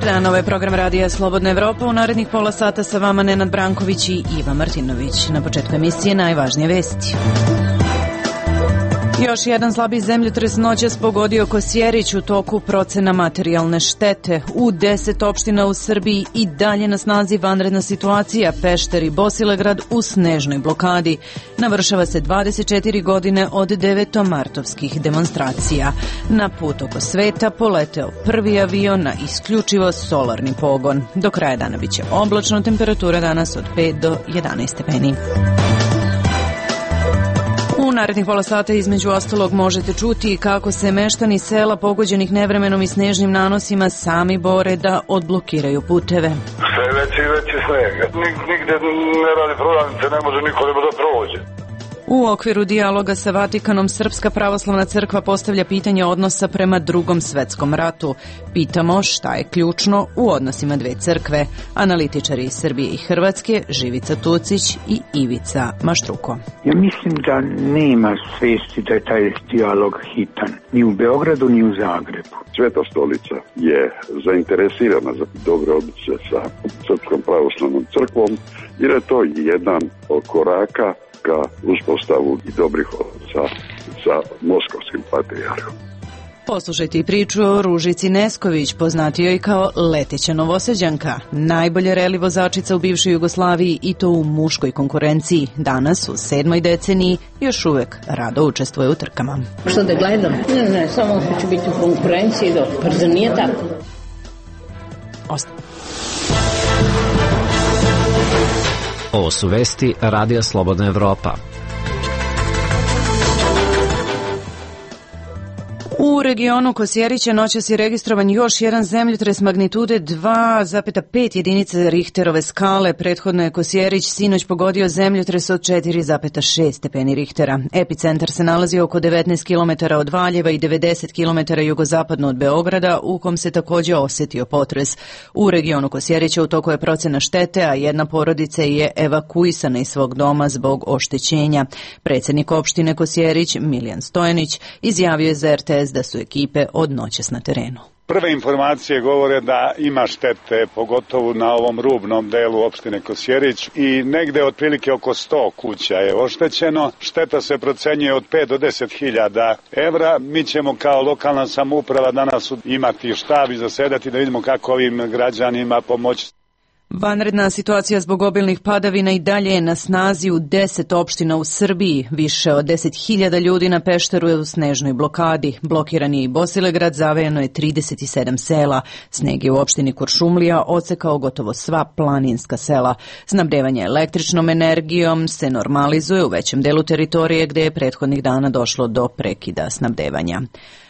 Dobar dan, ovo je program Radija Slobodna Evropa. U narednih pola sata sa vama Nenad Branković i Iva Martinović. Na početku emisije najvažnije vesti. Još jedan slabi zemljotres noćas pogodio Kosjerić. U toku procena materijalne štete. U 10 opština u Srbiji i dalje na snazi vanredna situacija. Pešter i Bosilegrad u snežnoj blokadi. Navršava se 24 godine od devetomartovskih demonstracija. Na put oko sveta poleteo prvi avion na isključivo solarni pogon. Do kraja dana biće oblačno, temperatura danas od 5 do 11 stepeni. U narednih pola sata između ostalog možete čuti kako se meštani sela pogođenih nevremenom i snežnim nanosima sami bore da odblokiraju puteve. Sve veći sneg. Nigde ne radi prodavnice, ne može niko da prođe. U okviru dijaloga sa Vatikanom Srpska pravoslavna crkva postavlja pitanje odnosa prema Drugom svetskom ratu. Pitamo šta je ključno u odnosima dve crkve. Analitičari iz Srbije i Hrvatske Živica Tucić i Ivica Maštruko. Ja mislim da nema svesti da je taj dijalog hitan. Ni u Beogradu, ni u Zagrebu. Sveta stolica je zainteresirana za dobre odnose sa Srpskom pravoslavnom crkvom jer je to jedan od koraka ka uspostavu i dobrih odnosa sa moskovskim patrijarhom. Poslušajte i priču o Ružici Nesković, poznatijoj i kao leteća Novosađanka, najbolje reli vozačica u bivšoj Jugoslaviji i to u muškoj konkurenciji. Danas, u 7. deceniji, još uvek rado učestvuje u trkama. Što da gledam? Ne, samo hoću biti u konkurenciji, pa zar nije tako? Ovo su vesti Radija Slobodna Evropa. U regionu Kosjerića noćas je registrovan još jedan zemljotres magnitude 2,5 jedinice Richterove skale. Prethodno je Kosjerić sinoć pogodio zemljotres od 4,6 stepeni Richtera. Epicentar se nalazi oko 19 km od Valjeva i 90 km jugozapadno od Beograda, u kom se također osjetio potres. U regionu Kosjerića u toku je procena štete, a jedna porodica je evakuisana iz svog doma zbog oštećenja. Predsjednik opštine Kosjerić, Miljan Stojanić, izjavio je za RTS da su ekipe od noćas na terenu. Prve informacije govore da ima štete, pogotovo na ovom rubnom delu opštine Kosjerić i negde otprilike oko 100 kuća je oštećeno. Šteta se procenjuje od 5 do 10 hiljada evra. Mi ćemo kao lokalna samouprava danas imati štab i zasedati da vidimo kako ovim građanima pomoći. Vanredna situacija zbog obilnih padavina i dalje je na snazi u 10 opština u Srbiji. Više od 10.000 ljudi na Pešteru je u snežnoj blokadi. Blokiran je i Bosilegrad, zavejano je 37 sela. Sneg je u opštini Kuršumlija odsekao gotovo sva planinska sela. Snabdevanje električnom energijom se normalizuje u većem delu teritorije gde je prethodnih dana došlo do prekida snabdevanja.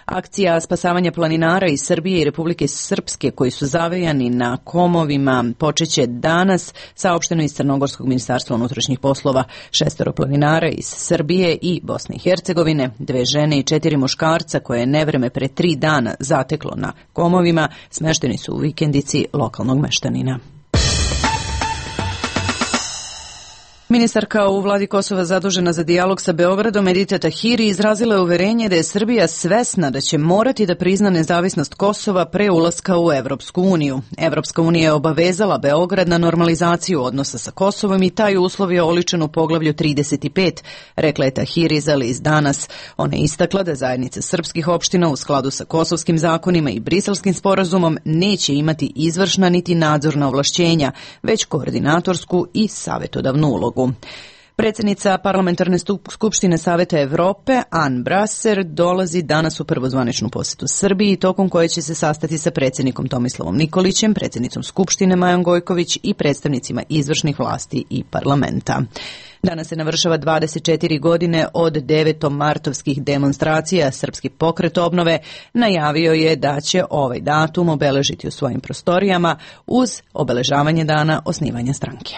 Akcija spasavanja planinara iz Srbije i Republike Srpske koji su zavejani na komovima počeće danas, saopšteno iz Crnogorskog ministarstva unutrašnjih poslova. 6 planinara iz Srbije i Bosne i Hercegovine, 2 žene i 4 muškarca koje je nevreme pre 3 dana zateklo na komovima, smešteni su u vikendici lokalnog meštanina. Ministarka u vladi Kosova zadužena za dijalog sa Beogradom Edita Tahiri izrazila je uverenje da je Srbija svesna da će morati da prizna nezavisnost Kosova pre ulaska u Evropsku uniju. Evropska unija je obavezala Beograd na normalizaciju odnosa sa Kosovom i taj uslov je oličen u poglavlju 35, rekla je Tahiri za list Danas. Ona je istakla da zajednica srpskih opština u skladu sa kosovskim zakonima i Briselskim sporazumom neće imati izvršna niti nadzorna ovlašćenja, već koordinatorsku i savjetodavnu ulogu. Predsjednica Parlamentarne skupštine Saveta Evrope, Ann Brasser, dolazi danas u prvozvaničnu posjetu Srbiji, tokom koje će se sastati sa predsjednikom Tomislavom Nikolićem, predsjednicom Skupštine Majom Gojković i predstavnicima izvršnih vlasti i parlamenta. Danas se navršava 24 godine od devetomartovskih demonstracija. Srpski pokret obnove najavio je da će ovaj datum obeležiti u svojim prostorijama uz obeležavanje dana osnivanja stranke.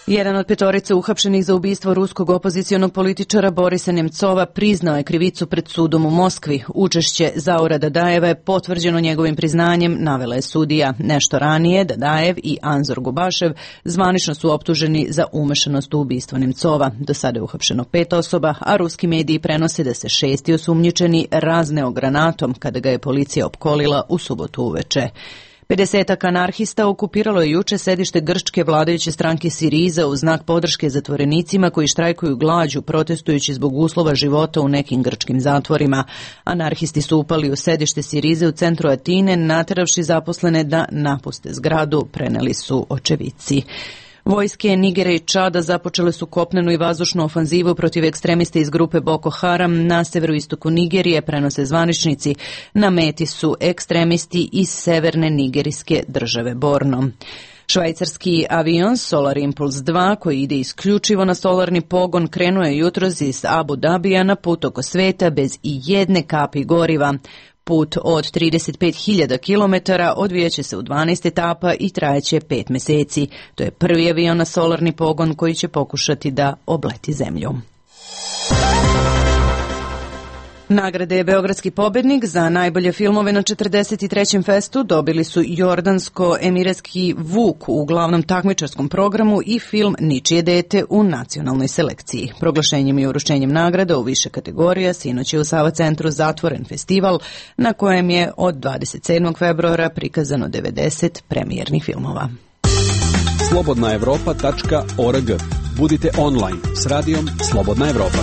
Jedan od petorice uhapšenih za ubistvo ruskog opozicionog političara Borisa Nemcova priznao je krivicu pred sudom u Moskvi. Učešće Zaura Dadajeva je potvrđeno njegovim priznanjem, navela je sudija. Nešto ranije Dadajev i Anzor Gubašev zvanično su optuženi za umešanost u ubistvo Nemcova. Do sada je uhapšeno 5 osoba, a ruski mediji prenose da se 6. osumnjičeni razneo granatom kada ga je policija opkolila u subotu uveče. 50 anarhista okupiralo je juče sedište grčke vladajuće stranke Siriza u znak podrške zatvorenicima koji štrajkuju glađu protestujući zbog uslova života u nekim grčkim zatvorima. Anarhisti su upali u sedište Sirize u centru Atine, nateravši zaposlene da napuste zgradu, preneli su očevici. Vojske Nigera i Čada započele su kopnenu i vazdušnu ofanzivu protiv ekstremista iz grupe Boko Haram na severoistoku Nigerije, prenose zvaničnici. Na meti su ekstremisti iz severne nigerijske države Borno. Švajcarski avion Solar Impulse 2, koji ide isključivo na solarni pogon, krenuo je jutros iz Abu Dabija na put oko sveta bez i jedne kapi goriva. Put od 35.000 km odvijaće se u 12 etapa i trajeće 5 meseci. To je prvi avion na solarni pogon koji će pokušati da obleti zemlju. Nagrade Beogradski pobednik za najbolje filmove na 43. festu dobili su Jordansko-emiratski Vuk u glavnom takmičarskom programu i film Ničije dete u nacionalnoj selekciji. Proglašenjem i uručenjem nagrada u više kategorija sinoć je u Sava centru zatvoren festival na kojem je od 27. februara prikazano 90 premijernih filmova. slobodnaevropa.org. Budite online s radijom Slobodna Evropa.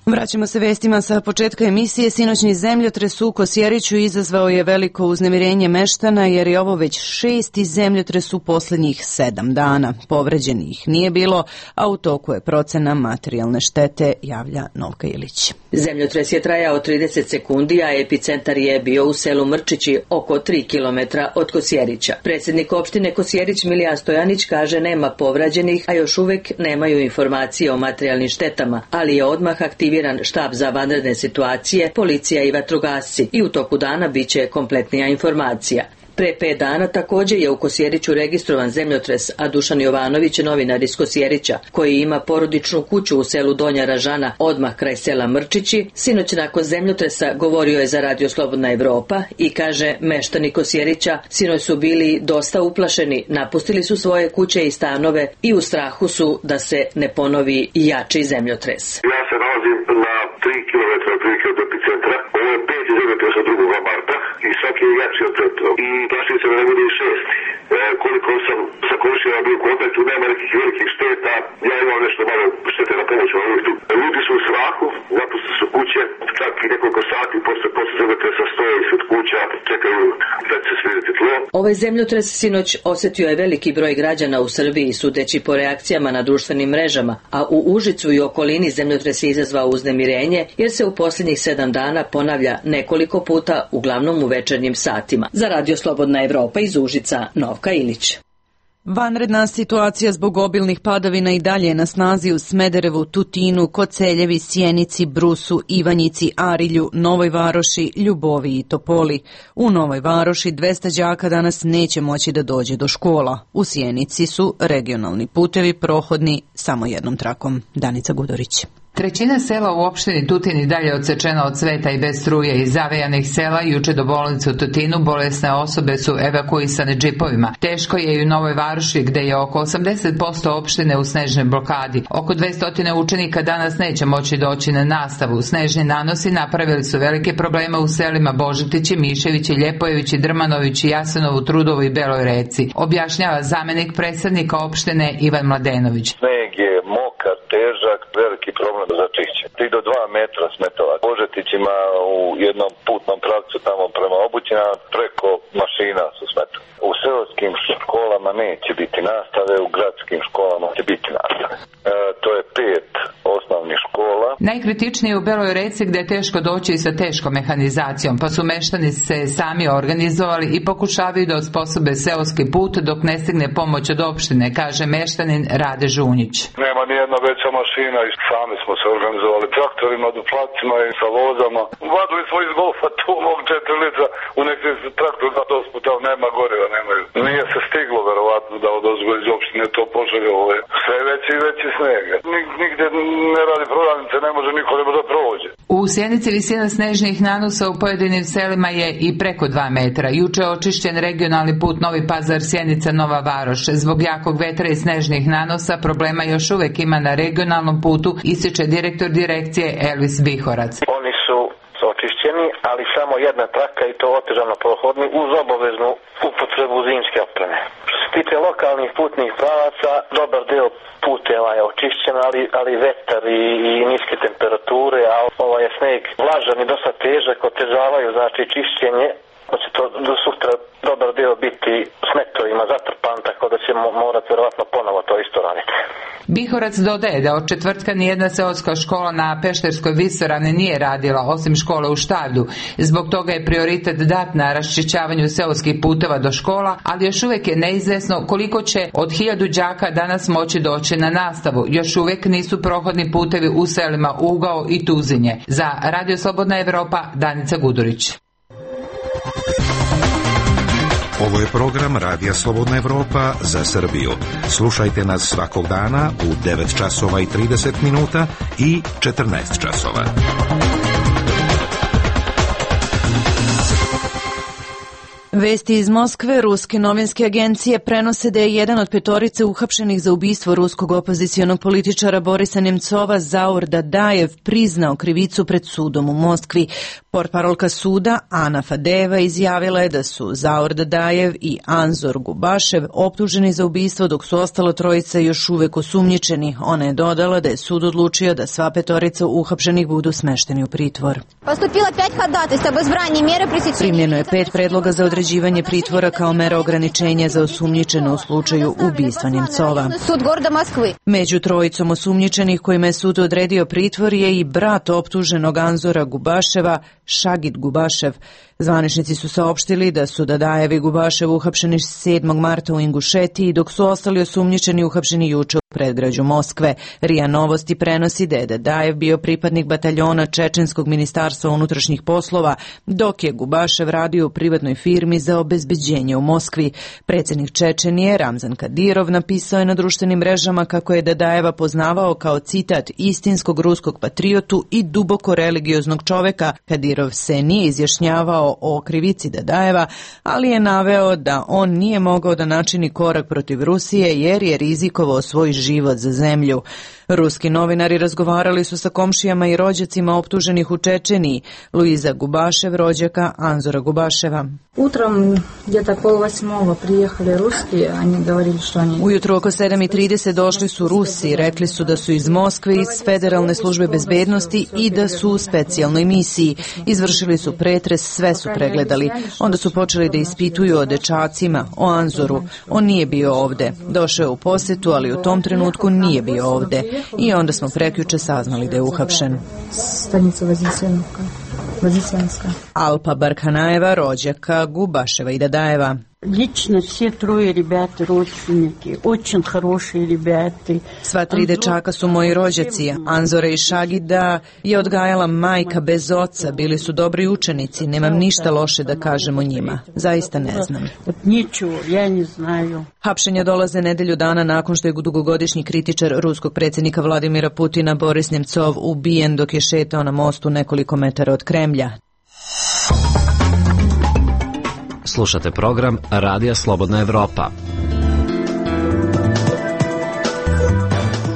Vraćamo se vestima sa početka emisije. Sinoćni zemljotres u Kosjeriću izazvao je veliko uznemirenje meštana jer je ovo već 6. zemljotres u posljednjih 7 dana. Povređenih nije bilo, a u toku je procena materijalne štete, javlja Novka Ilić. Zemljotres je trajao 30 sekundi, a epicentar je bio u selu Mrčići, oko 3 km od Kosjerića. Predsjednik opštine Kosjerić Milijan Stojanić kaže nema povređenih, a još uvek nemaju informacije o materijalnim štetama, ali je odmah aktiviran štab za vanredne situacije, policija i vatrogasci i u toku dana biće kompletnija informacija. Pre 5 dana također je u Kosjeriću registrovan zemljotres, a Dušan Jovanović, novinar iz Kosjerića, koji ima porodičnu kuću u selu Donja Ražana, odmah kraj sela Mrčići, sinoć nakon zemljotresa govorio je za Radio Slobodna Evropa i kaže meštani Kosjerića sinoć su bili dosta uplašeni, napustili su svoje kuće i stanove i u strahu su da se ne ponovi jači zemljotres. Ja se nalazim na 3 km otprilike od epicentra. Ovo je 5 zemljotresa 2. marta i svaki je jači od prethodnog. I plašim se da ne bude i 6. Koliko sam sa komšijama bio u kontaktu, nema nekih velikih šteta. Ja imam nešto malo štete na pomoć u ovom. Ljudi su u strahu, napustili su kuće, čak i nekoliko sati posle zemljotresa stoje ispred kuća, čekaju da će se smiriti tlo. Ovaj zemljotres sinoć osjetio je veliki broj građana u Srbiji, sudeći po reakcijama na društvenim mrežama, a u Užicu i okolini zemljotres je izazvao uznemirenje jer se u posljednjih 7 dana ponavlja nekoliko puta, uglavnom u večernjim satima. Za Radio Slobodna Evropa iz Užica, Novka Ilić. Vanredna situacija zbog obilnih padavina i dalje je na snazi u Smederevu, Tutinu, Koceljevi, Sjenici, Brusu, Ivanjici, Arilju, Novoj Varoši, Ljubovi i Topoli. U Novoj Varoši 200 đaka danas neće moći da dođe do škola. U Sjenici su regionalni putevi prohodni samo jednom trakom. Danica Gudorić. Trećina sela u opštini Tutin i dalje odsečena od sveta i bez struje. Iz zavejanih sela juče do bolnice u Tutinu bolesne osobe su evakuisane džipovima. Teško je i u Novoj Varoši gde je oko 80% opštine u snežnoj blokadi. Oko 200 učenika danas neće moći doći na nastavu. Snežni nanosi napravili su velike probleme u selima Božetići, Miševići, Ljepojevići, Drmanovići, Jasenovu, Trudovu i Beloj Reci. Objašnjava zamenik predsednika opštine Ivan Mladenović. Sneg je mokar, težak, veliki problem za čišće. 3 do 2 metra smetova. Božetić ima u jednom putnom pravcu tamo prema Obućina, preko mašina su smetova. U seoskim školama neće biti nastave, u gradskim školama će biti nastave. To je 5 osnovnih škola. Najkritičnije je u Beloj Reci gde je teško doći sa teškom mehanizacijom, pa su meštani se sami organizovali i pokušavaju da osposobe seoski put dok ne stigne pomoć od opštine, kaže meštanin Rade Žunjić. Nema nijedna veća mašina i sami smo se organizovali traktorima, duplacima i sa vozama. Vadili smo iz golfa tu mog 4 lica u neki traktor da dosputa, nema goriva, nemaju. Nije se stiglo verovatno da odozgo poželje, ovo je sve veći i veći sneg. Nigde ne radi prodavnice, ne može niko da prođe. U Sjenici visina snežnih nanosa u pojedinim selima je i preko 2 metra. Juče je očišćen regionalni put Novi Pazar Sjenica Nova Varoš. Zbog jakog vetra i snežnih nanosa problema još uvek ima na regionalnom putu, ističe direktor direkcije Elvis Bihorac. Oni su očišćeni, ali samo jedna traka i to otežano prohodni uz obaveznu upotrebu zimske opreme. Što se tiče lokalnih putnih pravaca, dobar deo puteva je očišćen, ali vetar i niske temperature, a ovaj je sneg vlažan i dosta težak, otežavaju znači čišćenje. Hoće to do sutra dobar deo biti smetovima zatrpan, tako da ćemo morati vjerovatno ponovo to isto raditi. Bihorac dodaje da od četvrtka nijedna seoska škola na Pešterskoj visoravni nije radila, osim škole u Štavlju. Zbog toga je prioritet dat na raščišćavanju seoskih puteva do škola, ali još uvijek je neizvesno koliko će od 1000 đaka danas moći doći na nastavu. Još uvijek nisu prohodni putevi u selima Ugao i Tuzinje. Za Radio Slobodna Evropa, Danica Gudurić. Ovo je program Radija Slobodna Evropa za Srbiju. Slušajte nas svakog dana u 9 časova i 30 minuta i 14 časova. Vesti iz Moskve, ruske novinske agencije prenose da je jedan od 5 uhapšenih za ubistvo ruskog opozicionog političara Borisa Nemcova, Zaur Dadajev, priznao krivicu pred sudom u Moskvi. Portparolka suda Ana Fadeva izjavila je da su Zaur Dadajev i Anzor Gubašev optuženi za ubistvo, dok su ostalo 3 još uvek osumnjičeni. Ona je dodala da je sud odlučio da sva 5 uhapšenih budu smešteni u pritvor. Primljeno je 5 predloga za određivanje pritvora kao mera ograničenja za osumnjičene u slučaju ubistva Nemcova. Među 3 osumnjičenih kojima je sud odredio pritvor je i brat optuženog Anzora Gubaševa, Šagit Gubašev. Zvaničnici su saopštili da su Dadajev i Gubašev uhapšeni 7. marta u Ingušetiji, dok su ostali osumnjičeni uhapšeni juče u predgrađu Moskve. RIA Novosti prenosi da je Dadajev bio pripadnik bataljona Čečenskog ministarstva unutrašnjih poslova, dok je Gubašev radio u privatnoj firmi za obezbeđenje u Moskvi. Predsjednik Čečenije Ramzan Kadirov napisao je na društvenim mrežama kako je Dadajeva poznavao kao, citat, istinskog ruskog patriotu i duboko religioznog čoveka. Kadirov se nije izjašnjavao o krivici Dadajeva, ali je naveo da on nije mogao da načini korak protiv Rusije jer je rizikovao svoj život za zemlju. Ruski novinari razgovarali su sa komšijama i rođacima optuženih u Čečeniji. Luiza Gubašev, rođaka Anzora Gubaševa. Ujutro oko 7:30 došli su Rusi, rekli su da su iz Moskve, iz Federalne službe bezbednosti i da su u specijalnoj misiji. Izvršili su pretres, sve su pregledali. Onda su počeli da ispituju o dečacima, o Anzoru. On nije bio ovde. Došao je u posetu, ali u tom trenutku nije bio ovde. I onda smo prekjuče saznali da je uhapšen. Alpa Barkanajeva, rođaka Gubaševa i Dadajeva. Lično sve 3 ребята родственники, очень хорошие ребята. Sva 3 dečaka su moji rođaci. Anzora i Šagida je odgajala majka bez oca, bili su dobri učenici, nemam ništa loše da kažem o njima. Zaista ne znam. Hapšenja dolaze nedelju dana nakon što je dugogodišnji kritičar ruskog predsjednika Vladimira Putina Boris Nemcov ubijen dok je šetao na mostu nekoliko metara od Kremlja. Slušate program Radija Slobodna Evropa.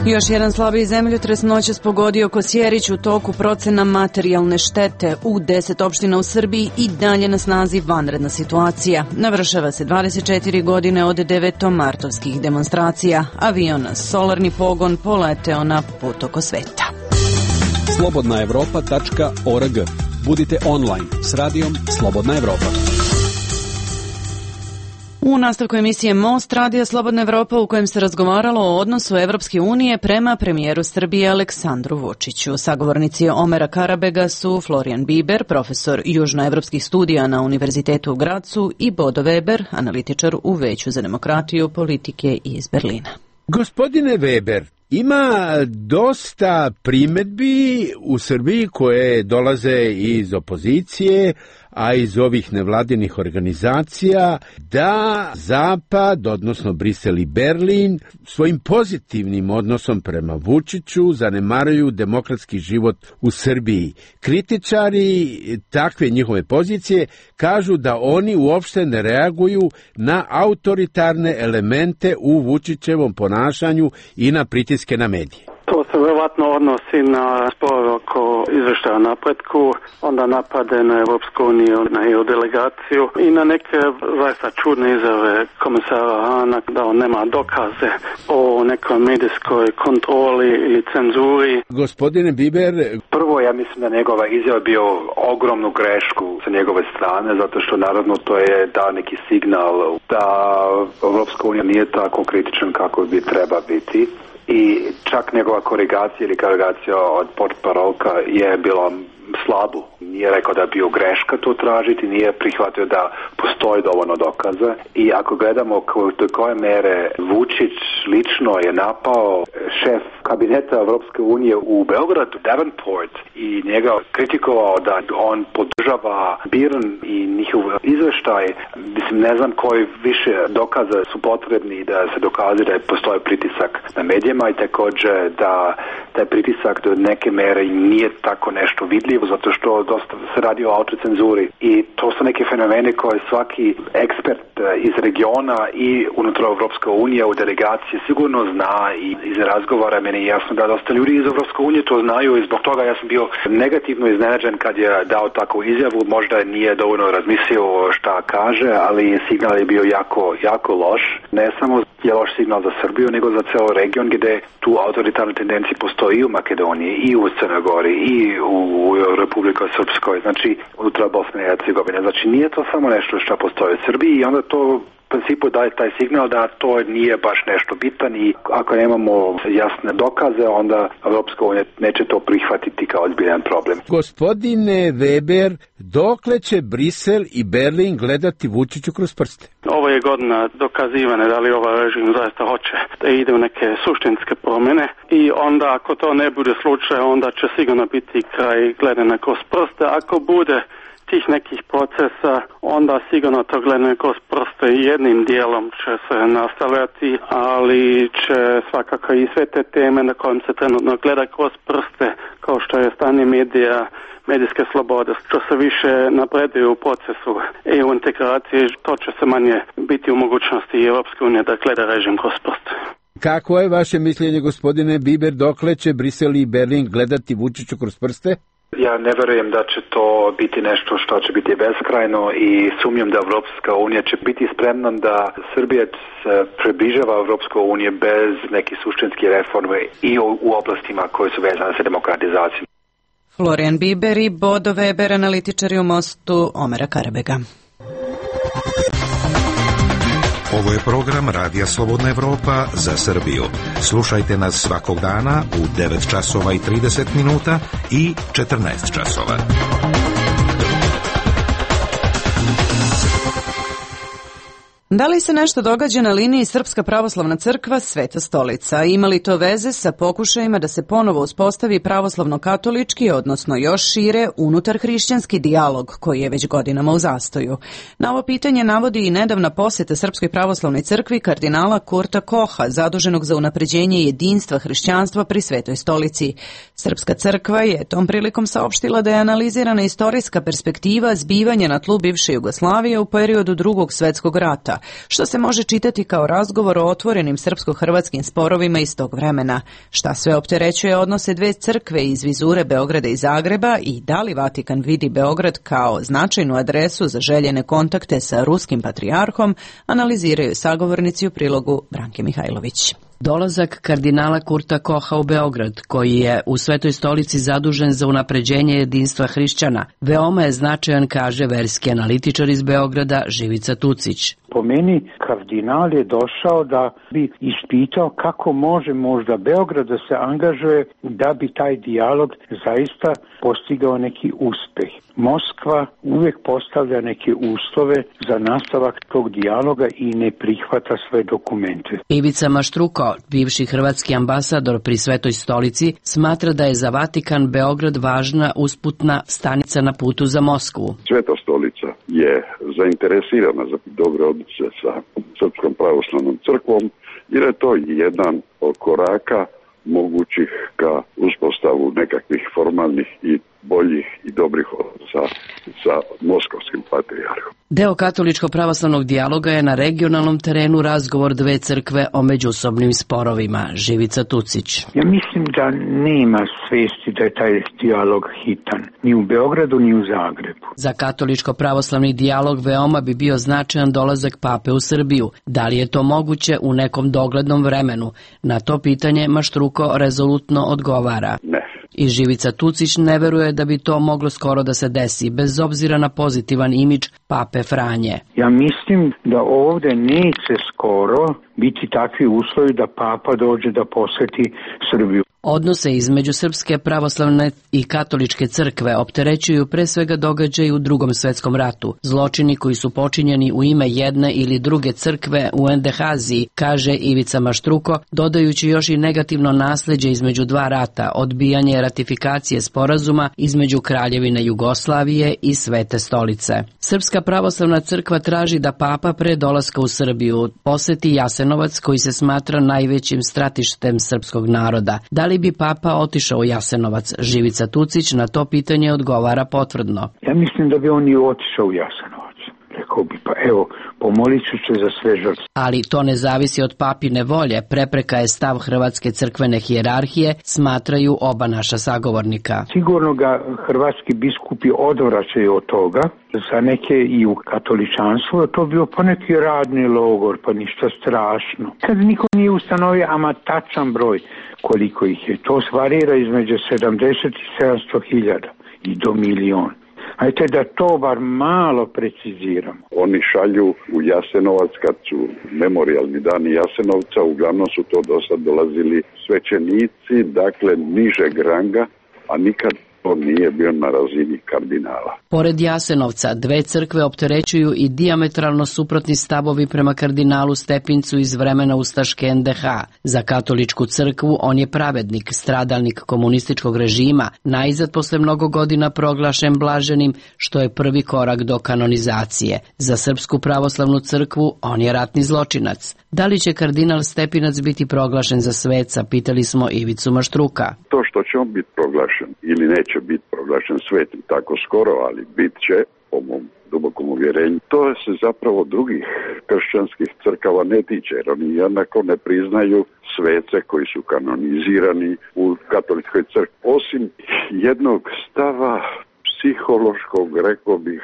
Još jedan slabiji zemljotres noćas pogodio Kosjerić. U toku procena materijalne štete u 10 opština u Srbiji i dalje na snazi vanredna situacija. Navršava se 24 godine od 9. demonstracija. Avion na solarni pogon poleteo na put oko sveta. slobodnaevropa.org. Budite online s radijom Slobodna Evropa. U nastavku emisije Most Radija Slobodna Evropa, u kojem se razgovaralo o odnosu Evropske unije prema premijeru Srbije Aleksandru Vučiću. Sagovornici Omera Karabega su Florijan Biber, profesor južnoevropskih studija na Univerzitetu u Gracu, i Bodo Weber, analitičar u Veću za demokratiju politike iz Berlina. Gospodine Weber, Ima dosta primedbi u Srbiji koje dolaze iz opozicije, a iz ovih nevladinih organizacija, da Zapad, odnosno Brisel i Berlin, svojim pozitivnim odnosom prema Vučiću zanemaruju demokratski život u Srbiji. Kritičari takve njihove pozicije kažu da oni uopšte ne reaguju na autoritarne elemente u Vučićevom ponašanju i na pritiske na medije. To se vjerovatno odnosi na spor oko izvještaja o napretku, onda napade na Europsku uniju, na EU delegaciju i na neke zaista čudne izjave komisara Hana da on nema dokaze o nekoj medijskoj kontroli ili cenzuri. Gospodine Biber, prvo ja mislim da njegova izjava bio ogromnu grešku sa njegove strane, zato što naravno to je dao neki signal da Europska unija nije tako kritičan kako bi treba biti. I čak njegova korigacija ili korigacija od portparolka je bila slabu. Nije rekao da je bio greška to tražiti, nije prihvatio da postoji dovoljno dokaza. I ako gledamo do koje mere Vučić lično je napao šef kabineta Evropske unije u Beogradu, Davenport, i njega kritikovao da on podržava BIRN i njihov izveštaj, mislim, ne znam koji više dokaza su potrebni da se dokaže da postoji pritisak na medijima i također da taj pritisak do neke mere nije tako nešto vidljivo, zato što dosta se radi o autocenzuri i to su neke fenomene koje svaki ekspert iz regiona i unutar Evropske unije u delegaciji sigurno zna i iz razgovora meni je jasno da dosta ljudi iz Evropske unije to znaju i zbog toga ja sam bio negativno iznenađen kad je dao takvu izjavu, možda nije dovoljno razmislio šta kaže, ali signal je bio jako loš, ne samo je loš signal za Srbiju, nego za ceo region gdje tu autoritarne tendencije postoji i u Makedoniji, i u Crnoj Gori, i u Republika Srpskoj, znači unutar Bosne i Hercegovine. Znači nije to samo nešto što postoji u Srbiji i onda to u principu daje taj signal da to nije baš nešto bitan i ako nemamo jasne dokaze, onda Evropska unija neće to prihvatiti kao ozbiljan problem. Gospodine Weber, dokle će Brisel i Berlin gledati Vučiću kroz prste? Ovo je godina dokazivane da li ovaj režim zaista hoće da ide u neke suštinske promjene i onda ako to ne bude slučaj, onda će sigurno biti kraj gledanja kroz prste. Ako bude tih nekih procesa, onda sigurno to gledanje kroz prste jednim dijelom će se nastavljati, ali će svakako i sve te teme na kojim se trenutno gleda kroz prste, kao što je stanje medija, medijske slobode, što se više napreduju u procesu EU integracije, to će se manje biti u mogućnosti Europske unije da gleda režim kroz prste. Kako je vaše mišljenje, gospodine Biber, dokle će Brisel i Berlin gledati Vučiću kroz prste? Ja ne verujem da će to biti nešto što će biti beskrajno i sumnjam da Evropska unija će biti spremna da Srbija se približava Evropskoj uniji bez nekih suštinskih reforme i u oblastima koje su vezane sa demokratizacijom. Florian Biber i Bodo Weber, analitičari u Mostu Omera Karabega. Ovo je program Radija Slobodna Evropa za Srbiju. Slušajte nas svakog dana u 9 časova i 30 minuta i 14 časova. Da li se nešto događa na liniji Srpska pravoslavna crkva Sveta stolica? Ima li to veze sa pokušajima da se ponovo uspostavi pravoslavno-katolički, odnosno još šire, unutar hrišćanski dijalog koji je već godinama u zastoju? Na ovo pitanje navodi i nedavna posjeta Srpskoj pravoslavnoj crkvi kardinala Kurta Koha, zaduženog za unapređenje jedinstva hrišćanstva pri Svetoj stolici. Srpska crkva je tom prilikom saopštila da je analizirana istorijska perspektiva zbivanja na tlu bivše Jugoslavije u periodu Drugog svjetskog rata, što se može čitati kao razgovor o otvorenim srpsko-hrvatskim sporovima iz tog vremena. Šta sve opterećuje odnose dve crkve iz vizure Beograda i Zagreba i da li Vatikan vidi Beograd kao značajnu adresu za željene kontakte sa ruskim patrijarhom, analiziraju sagovornici u prilogu Branke Mihajlović. Dolazak kardinala Kurta Koha u Beograd, koji je u Svetoj stolici zadužen za unapređenje jedinstva hrišćana, veoma je značajan, kaže verski analitičar iz Beograda Živica Tucić. Po meni kardinal je došao da bi ispitao kako može možda Beograd da se angažuje da bi taj dijalog zaista postigao neki uspeh. Moskva uvijek postavlja neke uslove za nastavak tog dijaloga i ne prihvata sve dokumente. Ivica Maštruko, bivši hrvatski ambasador pri Svetoj stolici, smatra da je za Vatikan Beograd važna usputna stanica na putu za Moskvu. Sveta stolica je zainteresirana za dobre odnose sa Srpskom pravoslavnom crkvom, jer je to jedan od koraka mogućih ka uspostavu nekakvih formalnih i boljih i dobrih odnosa sa moskovskim patrijarhom. Deo katoličko-pravoslavnog dijaloga je na regionalnom terenu razgovor dve crkve o međusobnim sporovima. Živica Tucić. Ja mislim da nema svesti da je taj dijalog hitan, ni u Beogradu ni u Zagrebu. Za katoličko-pravoslavni dijalog veoma bi bio značajan dolazak pape u Srbiju. Da li je to moguće u nekom doglednom vremenu? Na to pitanje Maštruko rezolutno odgovara. Ne. I Živica Tucić ne veruje da bi to moglo skoro da se desi, bez obzira na pozitivan imidž pape Franje. Ja mislim da ovdje neće skoro biti takvi uslovi da papa dođe da poseti Srbiju. Odnose između Srpske pravoslavne i katoličke crkve opterećuju pre svega događaji u Drugom svetskom ratu. Zločini koji su počinjeni u ime jedne ili druge crkve u Endehaziji, kaže Ivica Maštruko, dodajući još i negativno nasleđe između dva rata, odbijanje ratifikacije sporazuma između Kraljevine Jugoslavije i Svete stolice. Srpska pravoslavna crkva traži da papa pre dolaska u Srbiju poseti Jasenovac, koji se smatra najvećim stratištem srpskog naroda. Da li bi papa otišao u Jasenovac? Živica Tucić na to pitanje odgovara potvrdno. Ja mislim da bi on i otišao u Jasenovac. Rekao bi, pa evo, pomolit ću se za sve žrtve. Ali to ne zavisi od papine volje, prepreka je stav hrvatske crkvene hijerarhije, smatraju oba naša sagovornika. Sigurno ga hrvatski biskupi odvraćaju od toga, za neke i u katoličanstvu, to bio pa neki radni logor, pa ništa strašno. Kad niko nije ustanovio ama tačan broj koliko ih je, to varira između 70 i 700 hiljada i do milion. Ajte da to bar malo preciziramo. Oni šalju u Jasenovac kad su memorijalni dani Jasenovca, uglavnom su to do sad dolazili svećenici, dakle nižeg ranga, a nikad to nije bio na razini kardinala. Pored Jasenovca, dve crkve opterećuju i dijametralno suprotni stavovi prema kardinalu Stepincu iz vremena ustaške NDH. Za katoličku crkvu on je pravednik, stradalnik komunističkog režima, najzad posle mnogo godina proglašen blaženim, što je prvi korak do kanonizacije. Za Srpsku pravoslavnu crkvu on je ratni zločinac. Da li će kardinal Stepinac biti proglašen za sveca, pitali smo Ivicu Maštruka. To što će on biti proglašen ili neće biti proglašen svetim tako skoro, ali bit će, po mom dubokom uvjerenju, to se zapravo drugih kršćanskih crkava ne tiče, jer oni jednako ne priznaju svece koji su kanonizirani u katoličkoj crkvi. Osim jednog stava psihološkog, rekao bih,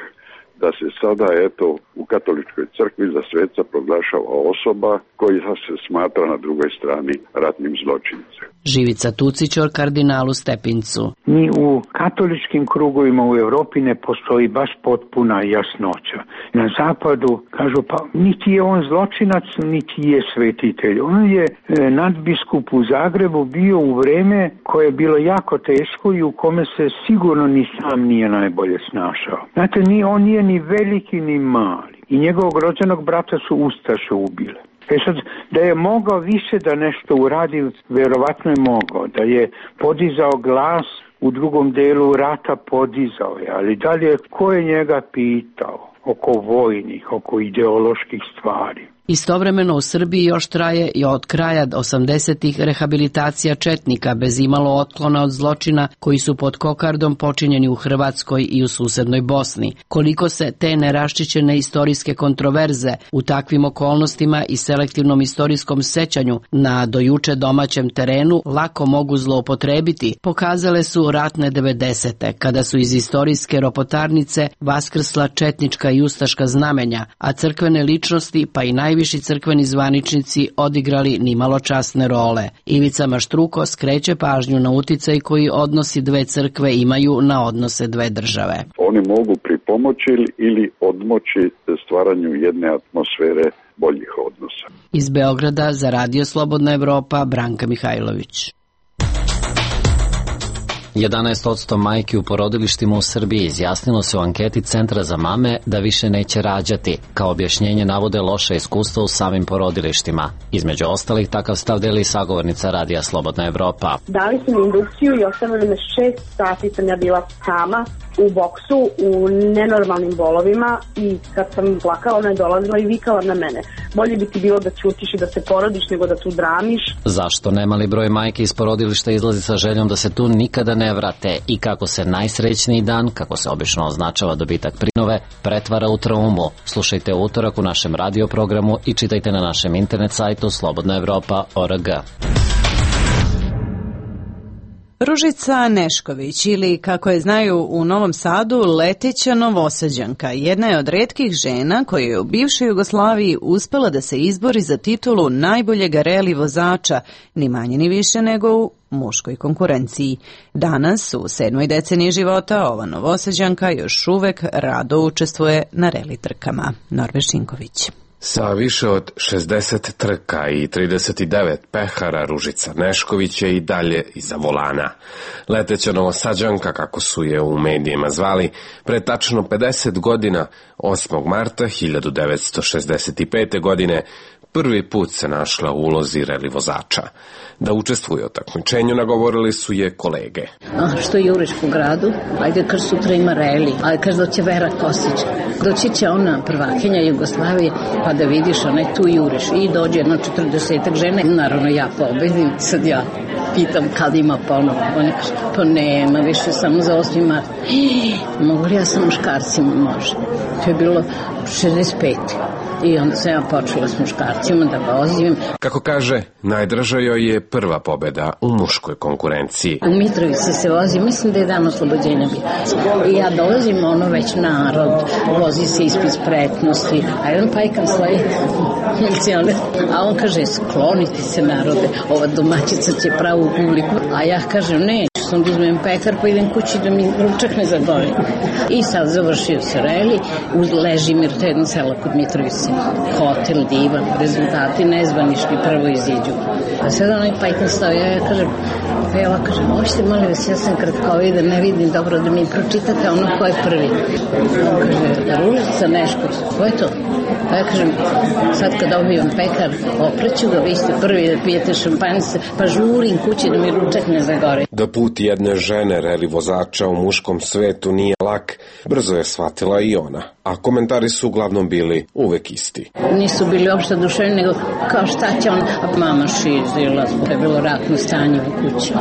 da se sada, eto, u katoličkoj crkvi za sveca proglašava osoba koja se smatra na drugoj strani ratnim zločincem. Živica Tucić o kardinalu Stepincu. Ni u katoličkim krugovima u Europi ne postoji baš potpuna jasnoća. Na zapadu kažu, pa niti je on zločinac, niti je svetitelj. On je nadbiskup u Zagrebu bio u vreme koje je bilo jako teško i u kome se sigurno ni sam nije najbolje snašao. Znate, on nije ni veliki ni mali. I njegovog rođenog brata su ustaše ubile. Sad, da je mogao više da nešto uradi, verovatno je mogao. Da je podizao glas u drugom delu rata, podizao je. Ali dalje, ko je njega pitao oko vojnih, oko ideoloških stvari? Istovremeno u Srbiji još traje i od kraja 80-ih rehabilitacija četnika bez imalo otklona od zločina koji su pod kokardom počinjeni u Hrvatskoj i u susednoj Bosni. Koliko se te neraščićene istorijske kontroverze u takvim okolnostima i selektivnom istorijskom sećanju na dojuče domaćem terenu lako mogu zloupotrebiti, pokazale su ratne 90-te, kada su iz istorijske ropotarnice vaskrsla četnička i ustaška znamenja, a crkvene ličnosti pa i najviši crkveni zvaničnici odigrali nimalo časne role. Ivica Maštruko skreće pažnju na uticaj koji odnosi dve crkve imaju na odnose dve države. Oni mogu pomoći ili odmoći stvaranju jedne atmosfere boljih odnosa. Iz Beograda za Radio Slobodna Evropa, Branka Mihajlović. 11% majki u porodilištima u Srbiji izjasnilo se u anketi Centra za mame da više neće rađati. Kao objašnjenje navode loše iskustva u samim porodilištima. Između ostalih, takav stav deli sagovornica Radija Slobodna Evropa. Dali su mi indukciju i ostavili me 6 sati sam ja bila sama u boksu, u nenormalnim bolovima i kad sam plakala, ona je dolazila i vikala na mene. Bolje bi ti bilo da ćutiš i da se porodiš nego da tu dramiš. Zašto nemali broj majke iz porodilišta izlazi sa željom da se tu nikada ne vrate i kako se najsrećniji dan, kako se obično označava dobitak prinove, pretvara u traumu. Slušajte utorak u našem radio programu i čitajte na našem internet sajtu slobodnaevropa.org. Ružica Nešković, ili kako je znaju u Novom Sadu, leteća Novosađanka, jedna je od retkih žena koja je u bivšoj Jugoslaviji uspela da se izbori za titulu najboljeg reli vozača, ni manje ni više nego u muškoj konkurenciji. Danas, u 7. deceniji života, ova Novosađanka još uvek rado učestvuje na reli trkama. Norbe Šinković. Sa više od 60 trka i 39 pehara, Ružica Nešković je i dalje iza volana. Leteća Novosađanka, kako su je u medijima zvali, pre tačno 50 godina, 8. marta 1965. godine, prvi put se našla u ulozi reli vozača. Da učestvuje u takmičenju nagovorili su je kolege. Što juriš po gradu? Ajde, kad sutra ima reli. Ajde, kad doće Vera Kostić. Doći će ona prvakinja Jugoslavije, pa da vidiš, ona tu juriš. I dođe jedno 40 žene. Naravno, ja pobedim. Sad ja pitam kad ima ponovo. Ona kaže, pa nema, više samo za 8. mart. Mogu li ja sa muškarcima? Može. To je bilo 65. I onda sam ja počela s muškarcima da vozim. Kako kaže, najdraža joj je prva pobeda u muškoj konkurenciji. U Mitrovici se vozi, mislim da je dan oslobođenja bio. I ja dolazim, već narod, vozi se ispit spretnosti, a jedan pajkam svoje milicione. A on kaže, skloniti se narode, ova domaćica će pravu publiku. A ja kažem, ne, sam da uzmem pekar pa idem kući da mi ručak ne zagori. I sad završio se reli, uz Ležimir, to je jedno selo kod Mitrovice. Hotel divan, rezultati nezvanični, prvo iziđu. A sad onaj pajkan stavio, ja kažem, Pela, kažem, možete molim vas, ja sam kratkovi da ne vidim dobro da mi pročitate ono ko je prvi. On kaže, Ružica Nešković, ko je to? Pa ja kažem, sad kad dobijem pekar, opreću ga, vi ste prvi da pijete šampanjce, pa žurim kući da mi ručak ne zagori. Da put jedne žene reli vozača u muškom svetu nije lak, brzo je shvatila i ona. A komentari su uglavnom bili uvek isti. Nisu bili uopšte duševni, nego kao šta će on, a mama šizila, je bilo ratno stanje u kući,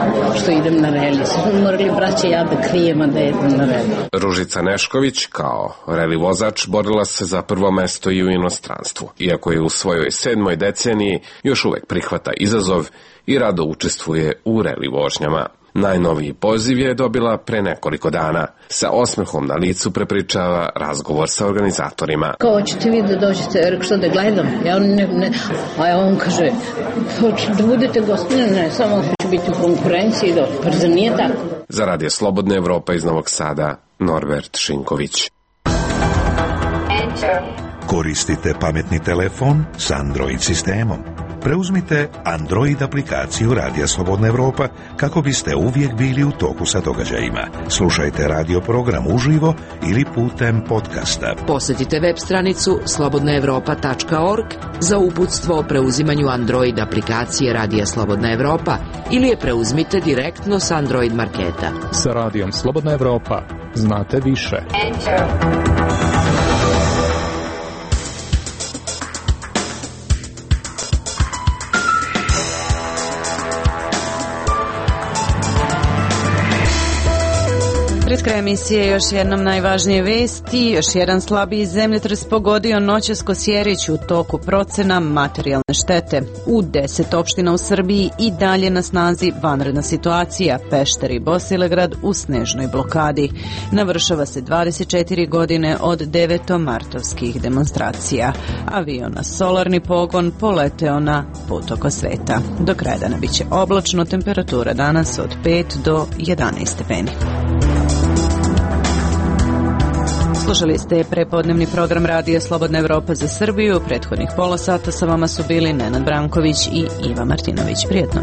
što idem na reli. Smo morali braće ja da krijemo da idem na reli. Ružica Nešković, kao reli vozač, borila se za prvo mesto i u inostranstvu. Iako je u svojoj 7. deceniji, još uvek prihvata izazov i rado učestvuje u reli vožnjama. Najnoviji poziv je dobila pre nekoliko dana. Sa osmehom na licu prepričava razgovor sa organizatorima. Kao ćete vi da dođete, rekao što da gledam? Ja ne. A on kaže, da budete gostine, ne, samo hoću biti u konkurenciji, pa zar nije tako? Za Radio Slobodna Evropa iz Novog Sada, Norbert Šinković. Koristite pametni telefon s Android sistemom. Preuzmite Android aplikaciju Radija Slobodna Evropa kako biste uvijek bili u toku sa događajima. Slušajte radio program uživo ili putem podcasta. Posjetite web stranicu slobodnaevropa.org za uputstvo o preuzimanju Android aplikacije Radija Slobodna Evropa ili je preuzmite direktno s Android marketa. Sa Radijom Slobodna Evropa znate više. Pred kraj emisije još jednom najvažnije vesti. Još jedan slabiji zemljotres pogodio noćas Kosjerić, u toku procena materijalne štete. U 10 opština u Srbiji i dalje na snazi vanredna situacija. Pešter i Bosilegrad u snežnoj blokadi. Navršava se 24 godine od 9. demonstracija. Avion na solarni pogon poleteo na put oko sveta. Do kraja dana biće oblačno, temperatura danas od 5 do 11 stepeni. Slušali ste prepodnevni program Radija Slobodna Evropa za Srbiju. Prethodnih pola sata sa vama su bili Nenad Branković i Iva Martinović. Prijetno.